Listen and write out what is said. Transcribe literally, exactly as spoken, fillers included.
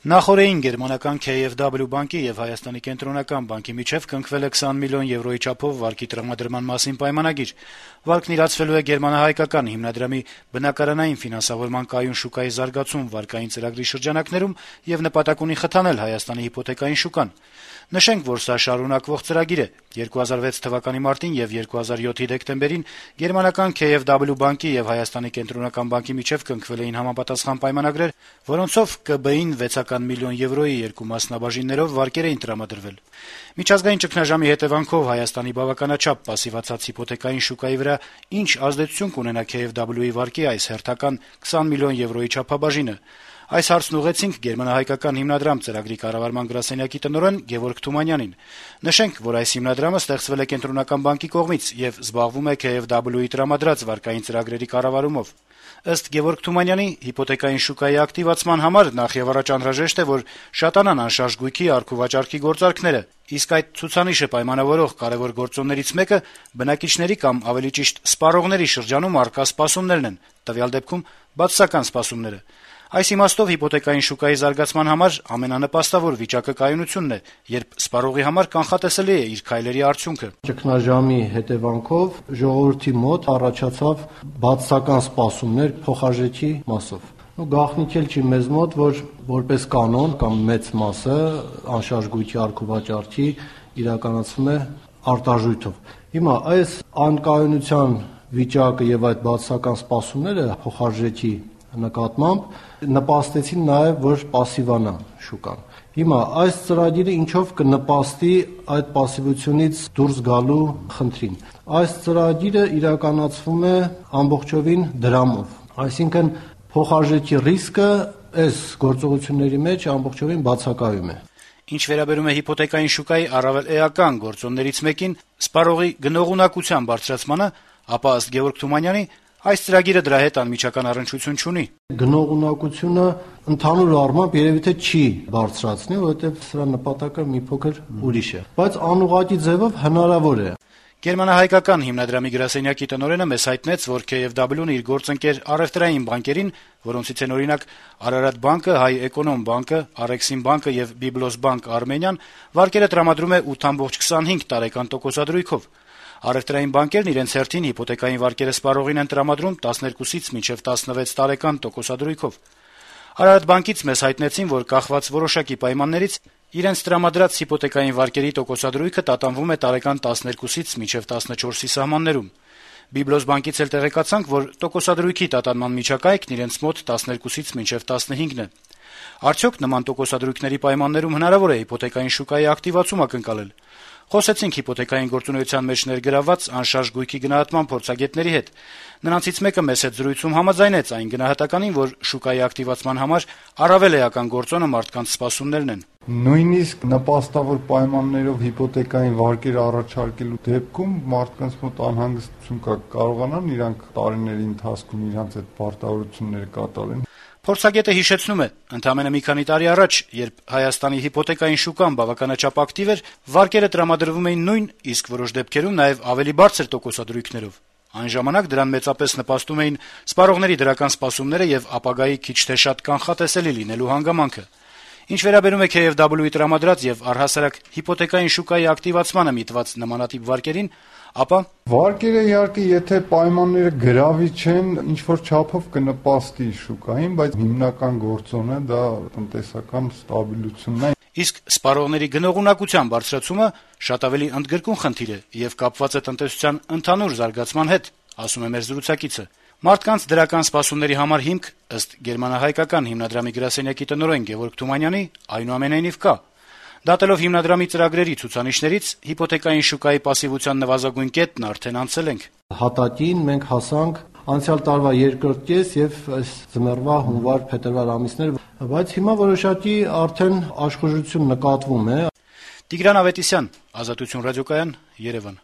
Նախօրեին գերմանական K F W բանկի եւ Հայաստանի կենտրոնական բանկի միջեւ կնքվել է քսան միլիոն եվրոյի չափով վարկի տրամադրման մասին պայմանագիր։ Վարկն իրացվելու է գերմանահայկական հիմնադրամի բնակարանային ֆինանսավորման կայուն շուկայի զարգացում վարկային ծրագրի շրջանակներում եւ նպատակ ունի խթանել Հայաստանի հիպոթեկային շուկան։ Նշենք, որ սա շարունակվող ծրագիր է։ երկու հազար վեց թվականի մարտին եւ երկու հազար յոթի դեկտեմբերին գերմանական K F W բանկի եւ Հայաստանի կենտրոնական բանկի միջեւ կնքվել էին համապատասխան պայմանագրեր, որոնցով K B-ին վեցական միլիոն եվրոյի երկու մասնաբաժիններով վարկեր էին տրամադրվել։ Միջազգային ճգնաժամի հետևանքով Հայաստանի բավականաչափ պասիվացած հիպոթեկային շուկայի վրա ինչ ազդեցություն կունենա K F W-ի վարկի այս հերթական քսան միլիոն եվրոյի չափաբաժինը։ Այս հարցն ուղեցինք գերմանահայկական հիմնադրամ ծրագրի կառավարման գրասենյակի տնօրեն Գևորգ Թումանյանին։ Նշենք, որ այս հիմնադրամը ստեղծվել է կենտրոնական բանկի կողմից եւ զբաղվում է K F W-ի տրամադրած վարկային ծրագրերի կառավարումով։ Ըստ Գևորգ Թումանյանի, հիպոթեկային շուկայի ակտիվացման համար նախ եւ առաջ անհրաժեշտ է, որ շատանան անշարժ գույքի առք-ու-վաճառքի գործարքները, իսկ այդ ցուցանիշը պայմանավորող կարեւոր գործոններից մեկը բնակիչների կամ ավելի ճիշտ սպառողների շրջանում առկա սպասումներն են, տվյալ դեպքում բացասական սպասումները։ Այս իմաստով հիպոթեկային շուկայի զարգացման համար ամենանպաստավոր վիճակը կայունությունն է, երբ սպառողի համար կանխատեսելի է իր քայլերի արդյունքը։ Ճգնաժամի հետևանքով ժողովրդի մոտ առաջացավ բացասական սպասումներ փոխարժեքի մասով։ Ու գաղտնիք էլ չի մեզ մոտ, որ որպես կանոն կամ մեծ մասը անշարժ գույքի առք-ու-վաճառքի իրականացվում է արտարժույթով։ Հիմա այս անկայունության վիճակը եւ այդ բացասական սպասումները փոխարժեքի նկատմամբ նպաստեցին նաև, որ պասիվանա շուկան։ Հիմա այս ծրագիրը ինչով կնպաստի այդ պասիվությունից դուրս գալու խնդրին։ Այս ծրագիրը իրականացվում է ամբողջովին դրամով, այսինքն փոխարժեքի ռիսկը այս գործողությունների մեջ ամբողջովին բացակայում է։ Ինչ վերաբերում է հիպոթեկային շուկայի առավել էական գործոններից մեկին սպառողի գնողունակության բարձրացմանը, ապա ըստ Գևորգ Թումանյանի այս ծրագիրը դրա հետ անմիջական առնչություն չունի։ Գնողունակությունը ընդհանուր առմամբ երևի թե չի բարձրացնի, որովհետև սրա նպատակը մի փոքր ուրիշ է, բայց անուղղակի ձևով հնարավոր է։ Գերմանահայկական հիմնադրամի գրասենյակի տնօրենը մեզ հայտնեց, որ K F W-ն իր գործընկեր առևտրային բանկերին, որոնցից են օրինակ Արարատ բանկը, Հայ Էկոնոմ բանկը, Արեքսիմ բանկը եւ Բիբլոս բանկ Արմենիան, վարկերը տրամադրում է ութ կoma քսանհինգ տարեկան տոկոսադրույքով։ Առևտրային բանկերն իրենց հերթին հիպոթեկային վարկերը սպառողին են տրամադրում տասներկուսից մինչև տասնվեց տարեկան տոկոսադրույքով։ Արարատ բանկից մեզ հայտնեցին, որ կախված որոշակի պայմաններից իրենց տրամադրած հիպոթեկային վարկերի տոկոսադրույքը տատանվում է տարեկան տասներկուսից մինչև տասնչորսի սահմաններում։ Բիբլոս բանկից էլ տեղեկացանք, որ տոկոսադրույքի տատանման միջակայքն իրենց մոտ տասներկուսից մինչև տասնհինգն է։ Արդյոք նման տոկոսադրույքների պայմաններում հնարավոր է հիպոթեկային շուկայի ակտիվացում ակնկալել։ Խոսեցինք հիպոթեկային գործունեության մեջ ներգրավված անշարժ գույքի գնահատման փորձագետների հետ։ Նրանցից մեկը մեզ հետ զրույցում համաձայնեց այն գնահատականին, որ շուկայի ակտիվացման համար առավել էական գործոնը մարդկանց սպասումներն են։ Նույնիսկ նպաստավոր պայմաններով հիպոթեկային վարկեր առաջարկելու դեպքում մարդկանց մոտ անհանգստություն կա, կարողանան իրանք տարիների ընթացքում իրանք այդ պարտավորությունները կատարեն։ Փորձագետը հիշեցնում է, ընդամենը մի քանի տարի առաջ, երբ Հայաստանի հիպոթեկային շուկան բավականաչափ ակտիվ էր, վարկերը տրամադրվում էին նույն, իսկ որոշ դեպքերում նաև ավելի բարձր տոկոսադրույքներով։ Այն ժամանակ դրան մեծապես նպաստում էին սպառողների դրական սպասումները եւ ապագայի քիչ թե շատ կանխատեսելի լինելու հանգամանքը։ Ինչ վերաբերում է K F W-ի տրամադրած եւ առհասարակ հիպոթեկային շուկայի ակտիվացմանը միտված նմանատիպ վարկերին, ապա վարկերը իհարկե եթե պայմանները գրավիչ են, ինչ որ չափով կնպաստի շուկային, բայց հիմնական գործոնը դա տնտեսական ստաբիլությունն է։ Իսկ սպառողների գնողունակության բարձրացումը շատ ավելի ընդգրկուն խնդիր է եւ կապված է տնտեսության ընդհանուր զարգացման հետ, ասում է մեր զրուցակիցը։ Մարդկանց դրական սպասումների համար հիմք, ըստ գերմանահայկական հիմնադրամի գրասենյակի տնօրեն Գևորգ Թումանյանի, այնուամենայնիվ կա։ Դատելով հիմնադրամի ծրագրերի ցուցանիշներից, հիպոթեկային շուկայի պասիվության նվազագույն կետն արդեն անցել ենք։ Հատակին մենք հասանք անցյալ տարվա երկրորդ կես եւ այս ձմեռվա հունվար-փետրվար ամիսներ, բայց հիմա որոշակի արդեն աշխուժություն նկատվում է։ Տիգրան Ավետիսյան, Ազատություն ռադիոկայան, Երևան։